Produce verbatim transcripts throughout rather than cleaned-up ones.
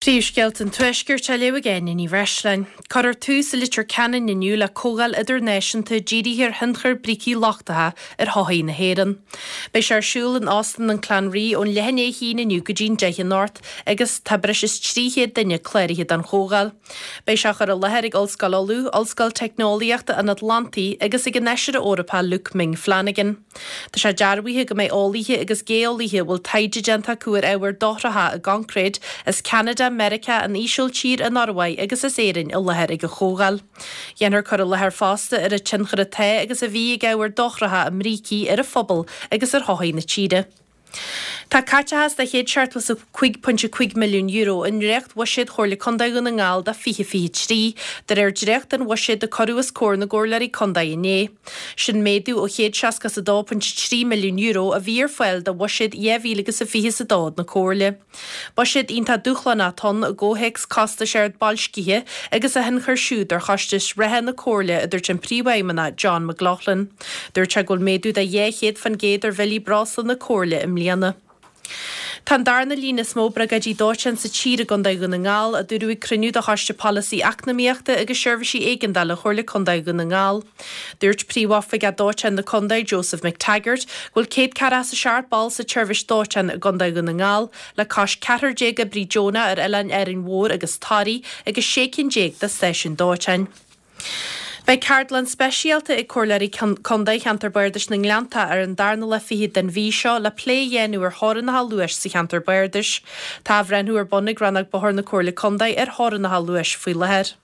Príomhscéalta an Tuaiscirt á léamh ag Áine Ní Bhreisleáin. Cuirfear tús i Leitir Ceanainn inniu le comhdháil idirnáisiúnta dírithe ar thionchar brící lochtacha ar shochaí na hÉireann. Beidh sé ar siúl in Óstán an Clanree ón leath i ndiaidh a haon inniu go dtí an deich anocht agus tá breis is trí chéad duine cláraithe don chomhdháil. Beidh sé á chur i láthair ag Ollscoil Uladh, Ollscoil Teicneolaíochta an Atlantaigh agus ag an Fheisire Eorpach Luke Ming Flanagan. Tá sé dearbhaithe go mbeidh eolaithe agus geolaithe a bhfuil taighde déanta acu ar ábhair dochracha i gconcréid as Ceanada, Meiriceá, an Ísiltír, an Ioruaidh agus as Éirinn i láthair ag an chomhdháil. Dhéanfar cur i láthair fosta ar an tionchar atá agus a bhí ag ábhair dochracha i mbrící ar an phobal agus ar shochaí na tíre. Tá caiteachas de chéad seachtó is a cúig pointe cúig milliún euro i ndréacht-bhuiséad Chomhairle Contae Dhún na nGall do fiche fiche trí, de réir dréacht den bhuiséad a cuireadh os comhair na gcomhairleoirí contae inné. Sin méadú ó chéad seasca is a dó pointe trí milliún euro a bhí ar fáil do bhuiséad dhá mhíle agus a fiche is a dó na Comhairle. Buiséad iontach dúshlánach atá ann i gcomhthéacs costais ard boilscithe agus a thionchar siúd ar chostais reatha na Comhairle, a dúirt an Príomhfheidhmeannach John McLaughlin. Dúirt sé go bhfuil méadú de dhá chéad faoin gcéad ar bhillí breosla na Comhairle i mbliana. Tá an darna líon is mó briogáidí dóiteáin sa tír i gContae Dhún na nGall, a dúradh ag cruinniú de Choiste Polasaí Eacnamaíochta agus Seirbhísí Éigeandála Chomhairle Contae Dhún na nGall. Dúirt Príomhoifigeach Dóiteáin na Contae, Joseph McTaggart, go bhfuil céad ceathracha is a seacht ball sa tseirbhís dóiteáin i gContae Dhún na nGall, le cois ceathrar déag oibrí deonach ar oileáin Árainn Mhór agus Toraí agus sé cinn déag de stáisiúin dóiteáin. Beidh ceardlann speisialta ag Comhairleoirí Contae Cheantar Bardais na nGleannta ar an darna lá fichead den mhí seo le plé a dhéanamh ar theorainneacha luais sa cheantar bardais. Tá athbhreithniú ar bun ag Rannóg Bóthair na Comhairle Contae ar theorainneacha luais faoi láthair.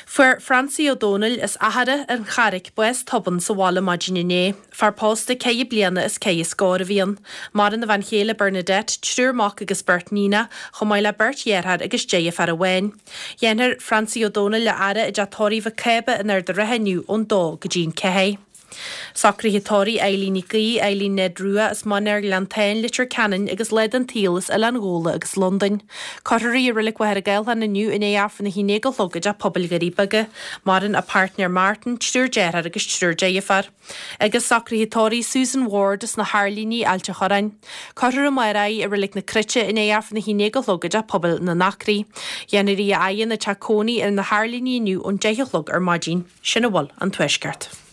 Fuair Francie Ó Dónaill as Achaire, An Charraic, bás tobann sa bhaile maidin inné. Fear pósta ceithre bliana is ceithre scór a bhí ann. Maireann a bhean chéile Bernadette, triúr mac agus beirt níonach, chomh maith le beirt dheartháir agus deirfiúr amháin. Dhéanfar Francie Ó Dónaill a fhaire i dteach tórraimh Mhic Cába in Ard an Rátha inniu ón dó go dtí an ceathair. Socruithe tórraimh Eileen Nic Aoidh, Eileen Ned Rua as Mainéar Ghleanntáin, Leitir Ceanainn agus lá den tsaol as Oileán Ghabhla agus Londain. Cuirfear í i Reilig Mhachaire Gathlán inniu i ndiaidh Aifreann a haon déag a chlog i dTeach Pobail Dhoirí Beaga. Maireann a páirtnéir Martin, triúr deartháir agus triúr deirfiúr. Agus socruithe tórraimh Susan Ward as na hAirlíní, Ailt an Chorráin. Cuirfear amárach í i Reilig na Cruite i ndiaidh Aifreann a haon déag a chlog i dTeach Pobail na nAcraí. Dhéanfar í a fhaire ina teach cónaí ar na hAirlíní inniu ón deich a chlog ar maidin. Sin a bhfuil ón Tuaisceart.